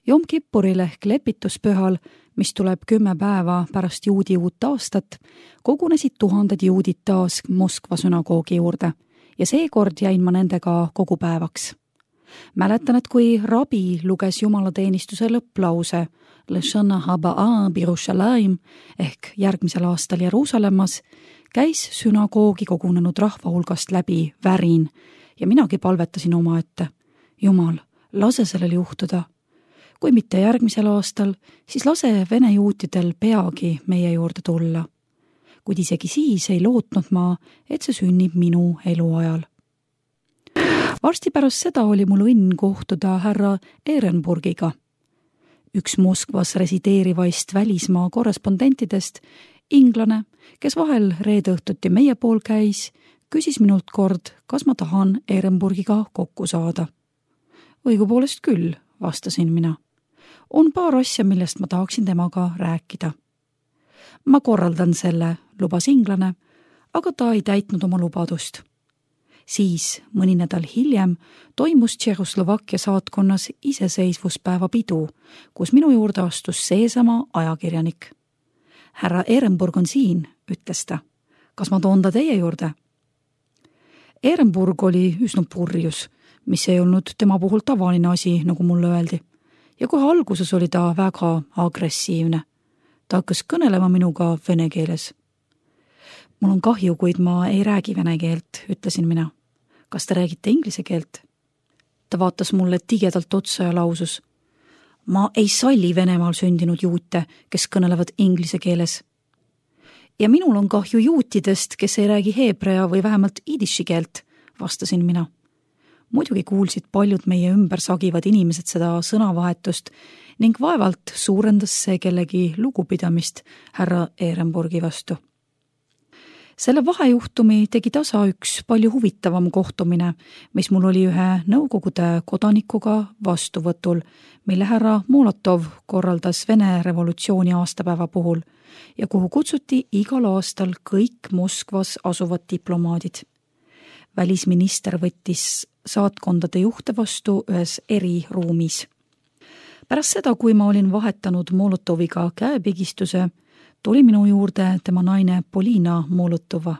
Jom Kippuril ehk lepituspühal, mis tuleb 10 päeva pärast juudi uut aastat, kogunesid tuhanded juudid taas Moskva sünagoogi juurde ja seekord jäin ma nendega kogu päevaks. Mäletan, et kui rabi luges jumalateenistuse lõpplause L'Shana Haba'a Birushalayim ehk järgmisel aastal Jeruusalemmas, käis sünagoogi kogunenud rahva hulgast läbi värin ja minagi palvetasin omaette. Jumal, lase sellel juhtuda. Kui mitte järgmisel aastal, siis lase vene juutidel peagi meie juurde tulla. Kuid isegi siis ei lootnud ma, et see sünnib minu eluajal. Varsti pärast seda oli mul õnn kohtuda härra Ehrenburgiga. Üks Moskvas resideerivaist välismaa korrespondentidest, inglane, kes vahel reede õhtuti meie pool käis, küsis minult kord, kas ma tahan Ehrenburgiga kokku saada. Õigupoolest küll, vastasin mina. On paar asja, millest ma tahaksin temaga rääkida. Ma korraldan selle, lubas inglane, aga ta ei täitnud oma lubadust. Siis, mõni nädal hiljem, toimus Tšehhoslovakkia saatkonnas iseseisvuspäeva pidu, kus minu juurde astus seesama ajakirjanik. Härra Ehrenburg on siin, ütles ta. Kas ma toon ta teie juurde? Ehrenburg oli üsna purjus, mis ei olnud tema puhul tavaline asi, nagu mulle öeldi. Ja kohe alguses oli ta väga agressiivne. Ta hakkas kõnelema minuga vene keeles. Mul on kahju, kuid ma ei räägi vene keelt, ütlesin mina. Kas te räägite inglise keelt? Ta vaatas mulle tigedalt otsa ja lausus. Ma ei salli Venemaal sündinud juute, kes kõnelevad inglise keeles. Ja minul on kahju juutidest, kes ei räägi heebrea või vähemalt idiši keelt, vastasin mina. Muidugi kuulsid paljud meie ümber sagivad inimesed seda sõnavahetust ning vaevalt suurendas see kellegi lugupidamist härra Ehrenburgi vastu. Selle vahejuhtumi tegi tasa üks palju huvitavam kohtumine, mis mul oli ühe Nõukogude kodanikuga vastuvõtul, mille härra Molotov korraldas Vene revolutsiooni aastapäeva puhul ja kuhu kutsuti igal aastal kõik Moskvas asuvad diplomaadid. Välisminister võttis saatkondade juhte vastu ühes eriruumis. Pärast seda, kui ma olin vahetanud Molotoviga käepigistuse, tuli minu juurde tema naine Polina Molotova.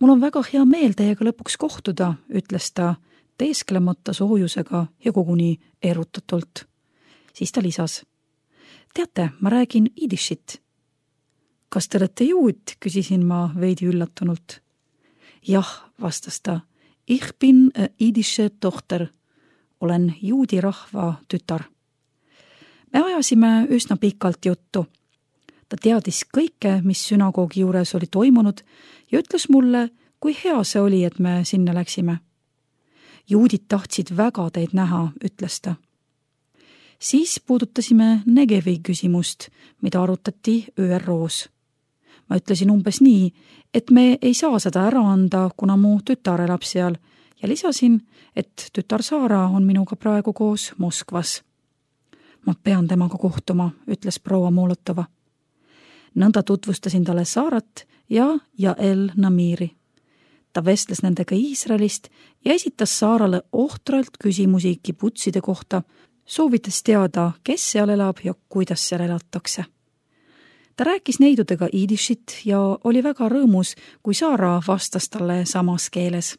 Mul on väga hea meel teiega lõpuks kohtuda, ütles ta teesklemata soojusega ja koguni erutatult. Siis ta lisas. Teate, ma räägin idishit. Kas te olete juut, küsisin ma veidi üllatunult. Jah, vastas ta. Ich bin idische tochter. Olen juudi rahva tütar. Me ajasime üsna pikalt juttu. Ta teadis kõike, mis sünagoogi juures oli toimunud ja ütles mulle, kui hea see oli, et me sinna läksime. Juudid tahtsid väga teid näha, ütles ta. Siis puudutasime Negevi küsimust, mida arutati ÜROs. Ma ütlesin umbes nii, et me ei saa seda ära anda, kuna mu tütar elab seal ja lisasin, et tütar Saara on minuga praegu koos Moskvas. Ma pean temaga kohtuma, ütles proua Molotova. Nõnda tutvustasin talle Saarat ja Jael Namiri. Ta vestles nendega Iisraelist ja esitas Saarale ohtralt küsimusi kibutside kohta, soovitas teada, kes seal elab ja kuidas seal elatakse. Ta rääkis neidudega idishit ja oli väga rõõmus, kui Saara vastas talle samas keeles.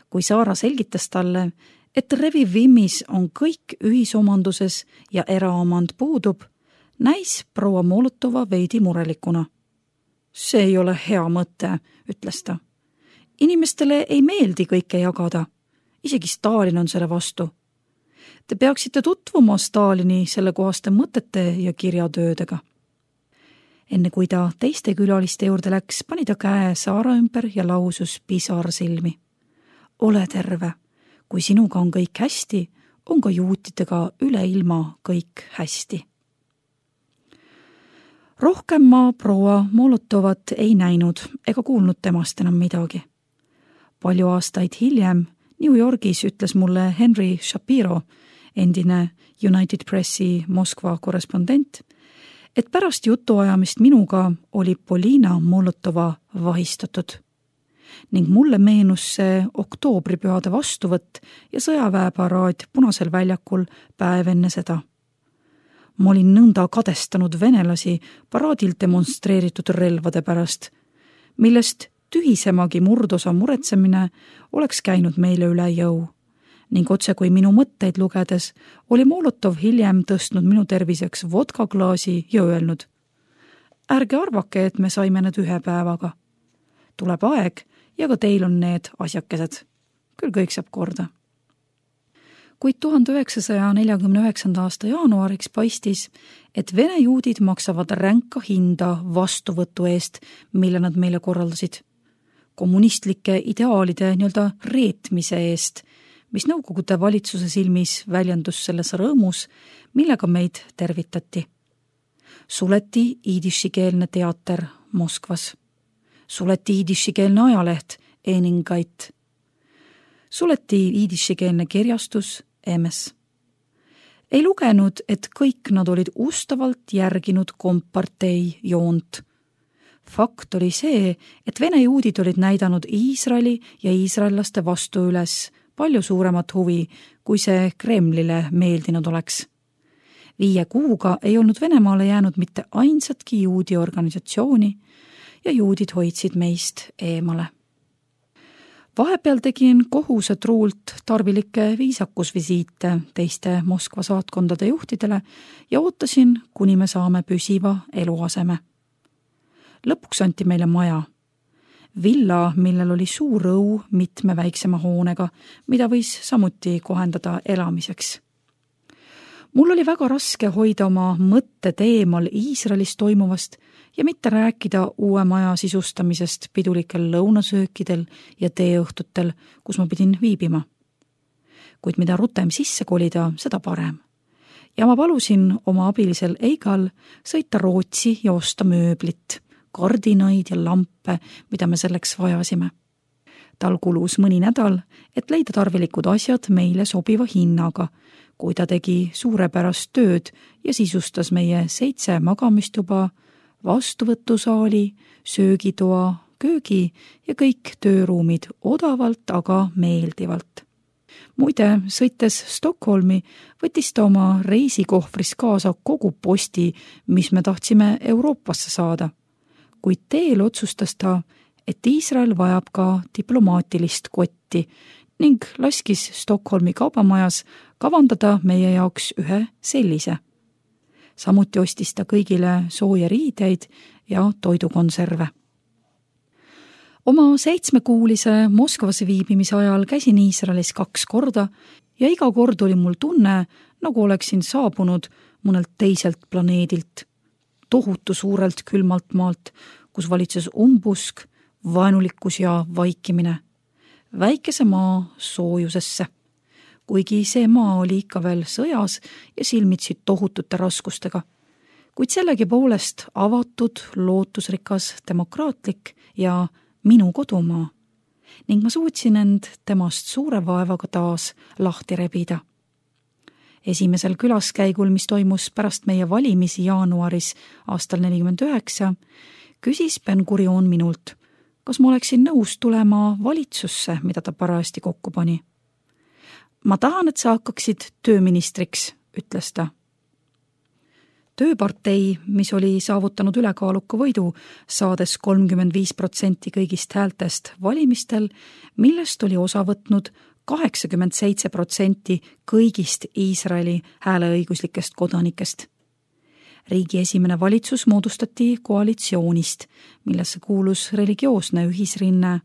Kui Saara selgitas talle, et Revivimmis on kõik ühisomanduses ja eraomand puudub, näis proua Molotova veidi murelikuna. See ei ole hea mõte, ütles ta. Inimestele ei meeldi kõike jagada. Isegi Stalin on selle vastu. Te peaksite tutvuma Stalini sellekohaste mõtete ja kirjatöödega. Enne kui ta teiste külaliste juurde läks, pani ta käe Saara ümber ja lausus pisar silmi. Ole terve. Kui sinuga on kõik hästi, on ka juutidega üle ilma kõik hästi. Rohkem ma proua Molotovat ei näinud ega kuulnud temast enam midagi. Palju aastaid hiljem New Yorgis ütles mulle Henry Shapiro, endine United Pressi Moskva korrespondent, et pärast jutuajamist minuga oli Polina Molotova vahistatud. ning mulle meenus see oktoobripühade vastuvõtt ja sõjaväeparaad Punasel väljakul päev enne seda. Ma olin nõnda kadestanud venelasi paraadil demonstreeritud relvade pärast, millest tühisemagi murdosa muretsemine oleks käinud meile üle jõu. Ning otse kui minu mõtteid lugedes oli Molotov hiljem tõstnud minu terviseks vodkaklaasi ja öelnud: ärge arvake, et me saime need ühe päevaga. Tuleb aeg ja ka teil on need asjakesed. Küll kõik saab korda. Kuid 1949. aasta jaanuariks paistis, et vene juudid maksavad ränka hinda vastuvõtu eest, mille nad meile korraldasid. Kommunistlike ideaalide nii-öelda reetmise eest, mis Nõukogude valitsuse silmis väljendus selles rõõmus, millega meid tervitati. Suleti iidishikeelne teater Moskvas. Suleti iidishikeelne ajaleht Eningait. Suleti iidishikeelne kirjastus Emes. Ei lugenud, et kõik nad olid ustavalt järginud kompartei joont. Fakt oli see, et vene juudid olid näidanud Iisraeli ja iisraellaste vastu üles palju suuremat huvi, kui see Kremlile meeldinud oleks. 5 kuuga ei olnud Venemaale jäänud mitte ainsatki juudi organisatsiooni ja juudid hoidsid meist eemale. Vahepeal tegin kohusetruult tarvilikke viisakusvisiite teiste Moskva saatkondade juhtidele ja ootasin, kuni me saame püsiva eluaseme. Lõpuks anti meile maja. Villa, millel oli suur õu mitme väiksema hoonega, mida võis samuti kohendada elamiseks. Mul oli väga raske hoida oma mõtted eemal Iisraelis toimuvast ja mitte rääkida uue maja sisustamisest pidulikel lõunasöökidel ja teeõhtutel, kus ma pidin viibima. Kuid mida rutem sisse kolida, seda parem. Ja ma palusin oma abilisel Eigal sõita Rootsi ja osta mööblit, kardinaid ja lampe, mida me selleks vajasime. Tal kulus mõni nädal, et leida tarvilikud asjad meile sobiva hinnaga, kui ta tegi suurepärast tööd ja sisustas meie 7 magamistuba, vastuvõtusaali, söögitoa, köögi ja kõik tööruumid odavalt, aga meeldivalt. Muide, sõites Stockholmi, võttis ta oma reisikohvris kaasa kogu posti, mis me tahtsime Euroopasse saada. Kuid teel otsustas ta, et Iisrael vajab ka diplomaatilist kotti ning laskis Stockholmi kaubamajas kavandada meie jaoks ühe sellise. Samuti ostis ta kõigile sooja riideid ja toidukonserve. Oma 7-kuulise Moskvas viibimise ajal käisin Iisraelis 2 korda ja iga kord oli mul tunne, nagu oleksin saabunud mõnelt teiselt planeedilt, tohutu suurelt külmalt maalt, kus valitses umbusk, vaenulikkus ja vaikimine, väikese maa soojusesse, kuigi see maa oli ikka veel sõjas ja silmitsi tohutute raskustega, kuid sellegi poolest avatud, lootusrikas, demokraatlik ja minu kodumaa ning ma suutsin end temast suure vaevaga taas lahti rebida. Esimesel külaskäigul, mis toimus pärast meie valimisi jaanuaris aastal 1949, küsis Ben-Gurion minult, kas ma oleksin nõus tulema valitsusse, mida ta parajasti kokku pani. Ma tahan, et sa hakkaksid tööministriks, ütles ta. Tööpartei, mis oli saavutanud ülekaaluka võidu, saades 35% kõigist häältest valimistel, millest oli osa võtnud 87% kõigist Iisraeli hääleõiguslikest kodanikest. Riigi esimene valitsus moodustati koalitsioonist, millesse kuulus religioosne ühisrinne,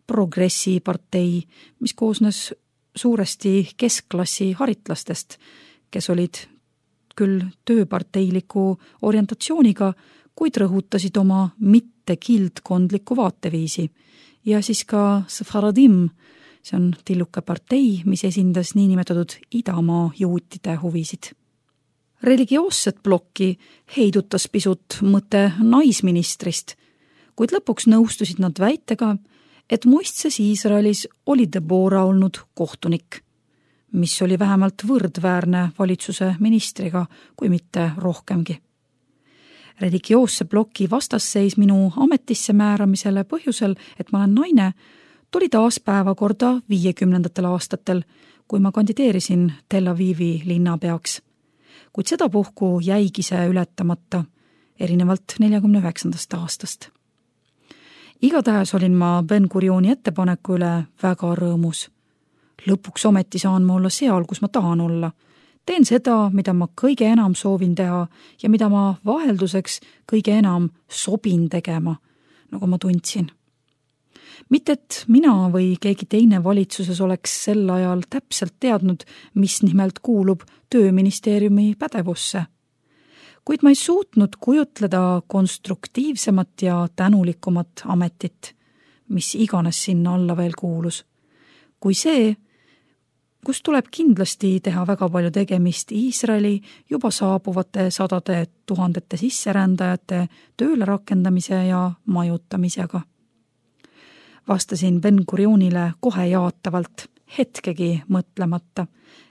progressipartei, mis koosnes suuresti keskklassi haritlastest, kes olid küll tööparteiliku orientatsiooniga, kuid rõhutasid oma mitte kildkondlikku vaateviisi. Ja siis ka Sfaradim, see on tilluke partei, mis esindas niinimetatud idamaa juutide huvisid. Religioosset plokki heidutas pisut mõte naisministrist, kuid lõpuks nõustusid nad väitega, et muistses Iisraelis oli Deborah olnud kohtunik, mis oli vähemalt võrdväärne valitsuse ministriga, kui mitte rohkemgi. Religioosse ploki vastasseis minu ametisse määramisele põhjusel, et ma olen naine, tuli taas päevakorda 50. aastatel, kui ma kandideerisin Tel Avivi linnapeaks. Kuid sedapuhku jäigi see ületamata, erinevalt 49. aastast. Igatahes olin ma Ben-Gurioni ettepaneku üle väga rõõmus. Lõpuks ometi saan ma olla seal, kus ma tahan olla. Teen seda, mida ma kõige enam soovin teha ja mida ma vahelduseks kõige enam sobin tegema, nagu ma tundsin. Mitte, et mina või keegi teine valitsuses oleks sel ajal täpselt teadnud, mis nimelt kuulub tööministeeriumi pädevusse. Kuid ma ei suutnud kujutleda konstruktiivsemat ja tänulikumat ametit, mis iganes sinna alla veel kuulus, kui see, kus tuleb kindlasti teha väga palju tegemist Iisraeli juba saabuvate sadade tuhandete sisserändajate tööle rakendamise ja majutamisega. Vastasin Ben-Gurionile kohe jaatavalt, hetkegi mõtlemata,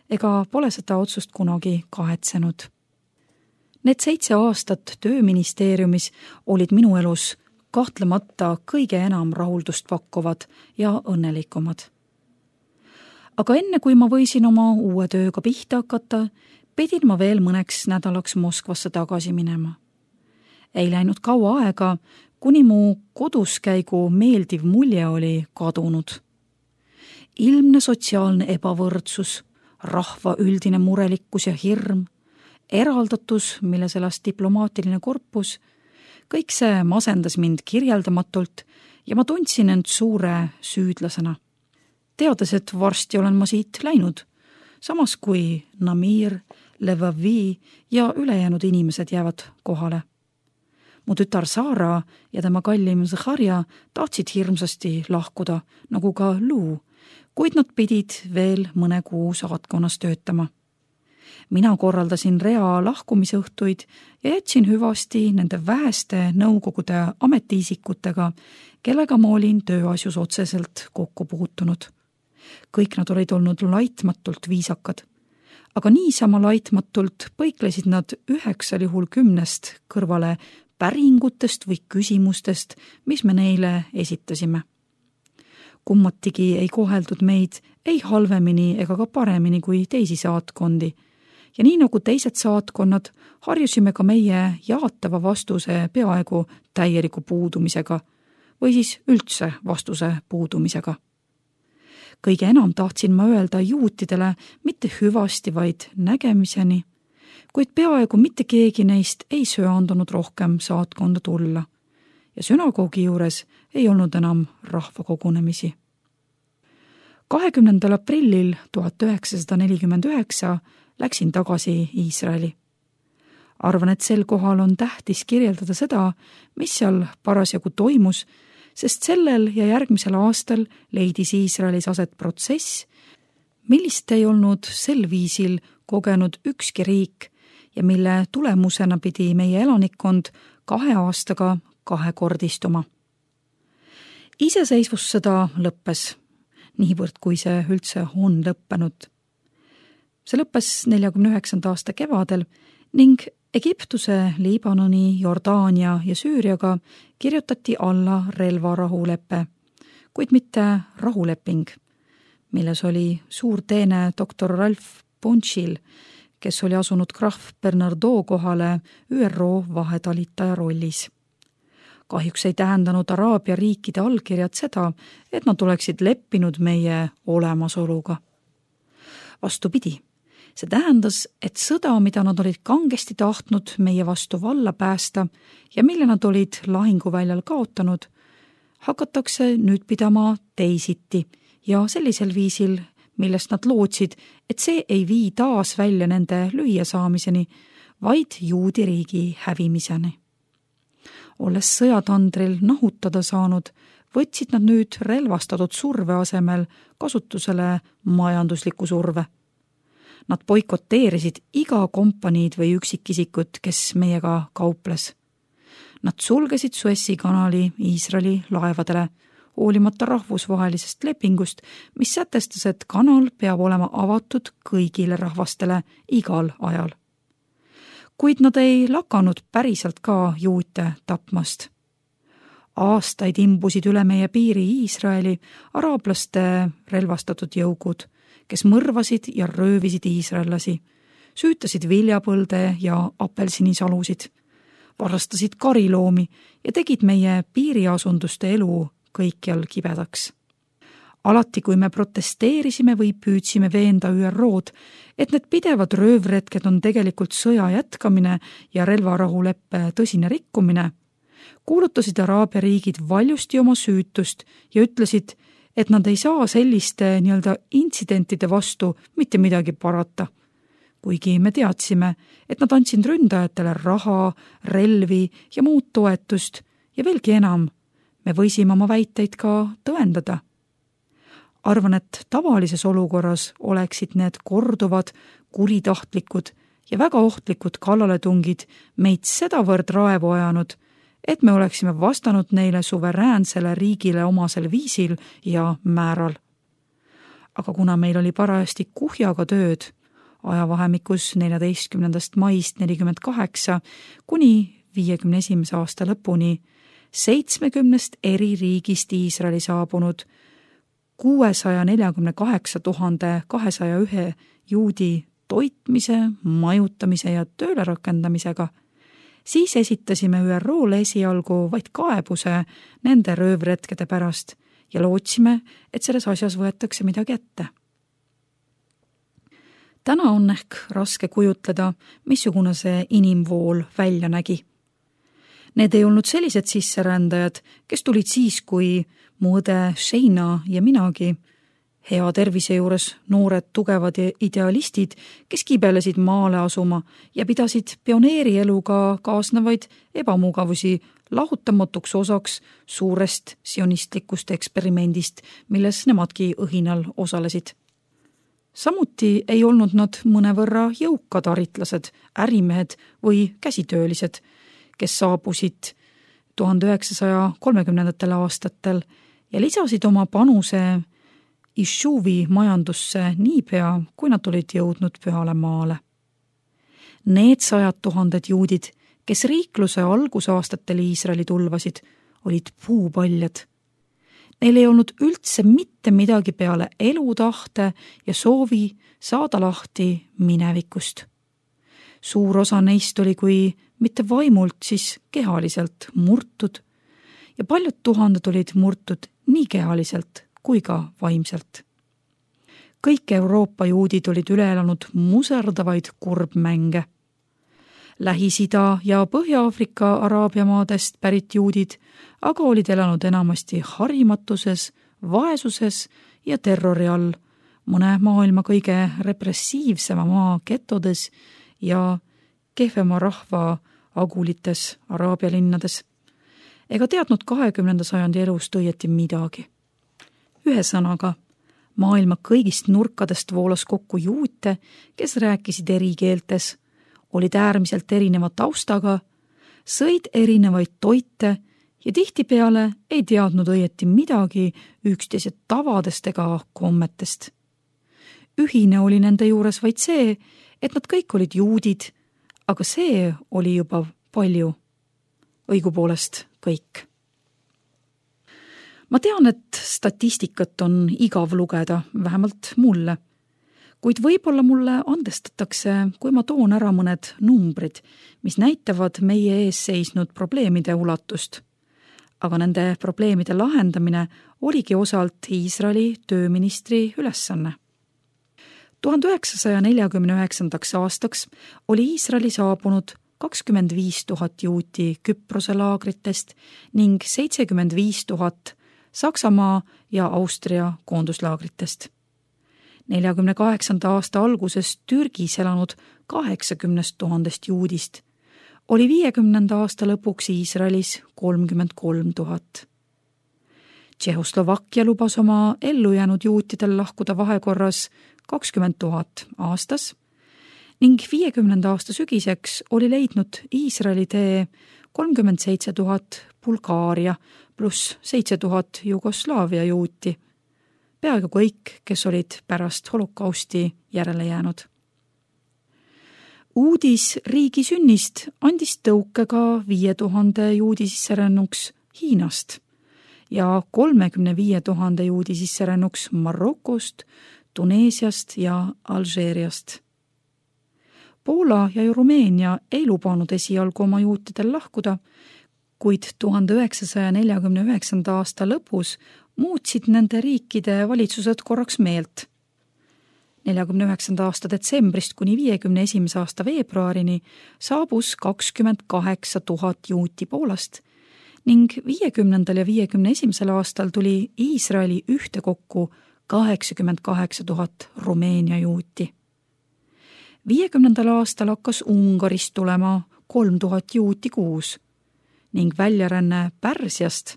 ega pole seda otsust kunagi kahetsenud. Need 7 aastat tööministeeriumis olid minu elus kahtlemata kõige enam rahuldust pakkuvad ja õnnelikumad. Aga enne, kui ma võisin oma uue tööga pihta hakata, pidin ma veel mõneks nädalaks Moskvasse tagasi minema. Ei läinud kaua aega, kuni mu koduskäigu meeldiv mulje oli kadunud. Ilmne sotsiaalne ebavõrdsus, rahva üldine murelikkus ja hirm, eraldatus, milles elas diplomaatiline korpus, kõik see masendas mind kirjeldamatult ja ma tundsin end suure süüdlasena. Teades, et varsti olen ma siit läinud, samas kui Namir, Levavi ja ülejäänud inimesed jäävad kohale. Mu tütar Sara ja tema kallim Zahharja tahtsid hirmsasti lahkuda, nagu ka Lou, kuid nad pidid veel mõne kuu saatkonnas töötama. Mina korraldasin rea lahkumisõhtuid ja jätsin hüvasti nende väheste nõukogude ametiisikutega, kellega ma olin tööasjus otseselt kokku puutunud. Kõik nad olid olnud laitmatult viisakad, aga niisama laitmatult põiklesid nad 9 juhul 10 kõrvale päringutest või küsimustest, mis me neile esitasime. Kummatigi ei koheldud meid ei halvemini ega ka paremini kui teisi saatkondi ja nii nagu teised saatkonnad harjusime ka meie jaatava vastuse peaaegu täieliku puudumisega või siis üldse vastuse puudumisega. Kõige enam tahtsin ma öelda juutidele mitte hüvasti, vaid nägemiseni, kuid peaaegu mitte keegi neist ei söandunud rohkem saatkonda tulla ja sünagoogi juures ei olnud enam rahvakogunemisi. 20. aprillil 1949 läksin tagasi Iisraeli. Arvan, et sel kohal on tähtis kirjeldada seda, mis seal parasjagu toimus, sest sellel ja järgmisel aastal leidis Iisraelis aset protsess, millist ei olnud sel viisil kogenud ükski riik ja mille tulemusena pidi meie elanikkond 2 aastaga 2-kordistuma. Iseseisvussõda lõppes, niivõrd kui see üldse on lõppenud. See lõppes 49. aasta kevadel ning Egiptuse, Liibanoni, Jordaania ja Süüriaga kirjutati alla relvarahulepe, kuid mitte rahuleping, milles oli suur teene doktor Ralph Bunchil, kes oli asunud krahv Bernardo kohale ÜRO vahetalitaja rollis. Kahjuks ei tähendanud Araabia riikide allkirjad seda, et nad oleksid leppinud meie olemasoluga. Vastupidi, see tähendas, et sõda, mida nad olid kangesti tahtnud meie vastu valla päästa ja mille nad olid lahinguväljal kaotanud, hakatakse nüüd pidama teisiti ja sellisel viisil, millest nad lootsid, et see ei vii taas välja nende lüüasaamiseni, vaid juudi riigi hävimiseni. Olles sõjatandril nahutada saanud, võtsid nad nüüd relvastatud surve asemel kasutusele majandusliku surve. Nad boikoteerisid iga kompaniid või üksikisikut, kes meiega kauples. Nad sulgesid Suessi kanali Iisraeli laevadele, hoolimata rahvusvahelisest lepingust, mis sätestas, et kanal peab olema avatud kõigile rahvastele igal ajal. Kuid nad ei lakanud päriselt ka juute tapmast. Aastaid imbusid üle meie piiri Iisraeli araablaste relvastatud jõugud, kes mõrvasid ja röövisid iisraellasi, süütasid viljapõlde ja apelsinisalusid, varastasid kariloomi ja tegid meie piiriasunduste elu kõikjal kibedaks. Alati, kui me protesteerisime või püüdsime veenda ÜRO-d, et need pidevad röövretked on tegelikult sõja jätkamine ja relvarahuleppe tõsine rikkumine, kuulutasid Araabia riigid valjusti oma süütust ja ütlesid, et nad ei saa selliste intsidentide vastu mitte midagi parata. Kuigi me teadsime, et nad andsid ründajatele raha, relvi ja muud toetust ja veelgi enam, me võisime oma väiteid ka tõendada. Arvan, et tavalises olukorras oleksid need korduvad, kuritahtlikud ja väga ohtlikud kallaletungid meid sedavõrd raevu ajanud, et me oleksime vastanud neile suveräänsele riigile omasel viisil ja määral. Aga kuna meil oli parajasti kuhjaga tööd, ajavahemikus 14. maist 48 kuni 51. aasta lõpuni 70 eri riigist Iisraeli saabunud 648 201 juudi toitmise, majutamise ja tööle rakendamisega, siis esitasime ÜRO-le esialgu vaid kaebuse nende röövretkede pärast ja lootsime, et selles asjas võetakse midagi ette. Täna on ehk raske kujutleda, missugune see inimvool välja nägi. Need ei olnud sellised sisserändajad, kes tulid siis, kui mu õde Sheina ja minagi, hea tervise juures noored tugevad idealistid, kes kibelesid maale asuma ja pidasid pioneerieluga kaasnevaid ebamugavusi lahutamatuks osaks suurest sionistlikust eksperimendist, milles nemadki õhinal osalesid. Samuti ei olnud nad mõnevõrra jõukad aritlased, ärimehed või käsitöölised, kes saabusid 1930. aastatel ja lisasid oma panuse Ishuvi majandusse niipea, kui nad olid jõudnud pühale maale. Need 100 000 juudid, kes riikluse algusaastatel Iisraeli tulvasid, olid puupaljad. Neil ei olnud üldse mitte midagi peale elutahte ja soovi saada lahti minevikust. Suur osa neist oli kui mitte vaimult, siis kehaliselt murtud ja paljud tuhanded olid murtud nii kehaliselt kui ka vaimselt. Kõik Euroopa juudid olid üle elanud muserdavaid kurbmänge. Lähis-Ida ja Põhja-Aafrika Araabia maadest pärit juudid aga olid elanud enamasti harimatuses, vaesuses ja terrori all, mõne maailma kõige repressiivsema maa getodes ja kehvema rahva agulites Araabia linnades, ega teadnud 20. sajandi elust õieti midagi. Ühesõnaga, maailma kõigist nurkadest voolas kokku juute, kes rääkisid eri keeltes, olid äärmiselt erineva taustaga, sõid erinevaid toite ja tihtipeale ei teadnud õieti midagi üksteise tavadest ega kommetest. Ühine oli nende juures vaid see, et nad kõik olid juudid, aga see oli juba palju. Õigupoolest kõik. Ma tean, et statistikat on igav lugeda, vähemalt mulle. Kuid võib-olla mulle andestatakse, kui ma toon ära mõned numbrid, mis näitavad meie ees seisnud probleemide ulatust. Aga nende probleemide lahendamine oligi osalt Iisraeli tööministri ülesanne. 1949. aastaks oli Iisraeli saabunud 25 000 juuti Küprose laagritest ning 75 000 Saksamaa ja Austria koonduslaagritest. 48. aasta alguses Türgis elanud 80 000 juudist oli 50. aasta lõpuks Iisraelis 33 000. Tšehhoslovakkia lubas oma ellujäänud juutidel lahkuda vahekorras 20 000 aastas ning 50. aasta sügiseks oli leidnud Iisraeli tee 37 000 Bulgaaria pluss 7 000 Jugoslaavia juuti, peaaegu kõik, kes olid pärast holokausti järele jäänud. Uudis riigi sünnist andis tõuke ka 5000 juudi sisserännuks Hiinast ja 35 000 juudi sisserännuks Marokost, Tuneesiast ja Alžeeriast. Poola ja Rumeenia ei lubanud esialgu oma juutidel lahkuda, kuid 1949. aasta lõpus muutsid nende riikide valitsused korraks meelt. 49. aasta detsembrist kuni 51. aasta veebruarini saabus 28 000 juuti Poolast ning 50. ja 51. aastal tuli Iisraeli ühtekokku 88 000 Rumeenia juuti. 50. aastal hakkas Ungarist tulema 3000 juuti kuus ning väljaränne Pärsiast,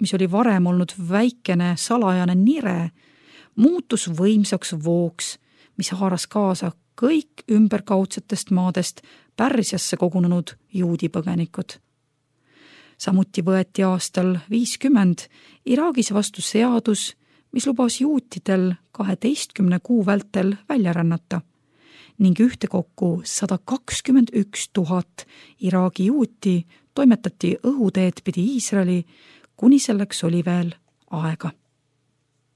mis oli varem olnud väikene salajane nire, muutus võimsaks vooks, mis haaras kaasa kõik ümberkaudsetest maadest Pärsiasse kogunenud juudipõgenikud. Samuti võeti aastal 50 Iraagis vastu seadus, mis lubas juutidel 12 kuu vältel välja rännata ning ühtekokku 121 000 Iraagi juuti toimetati õhuteed pidi Iisraeli, kuni selleks oli veel aega.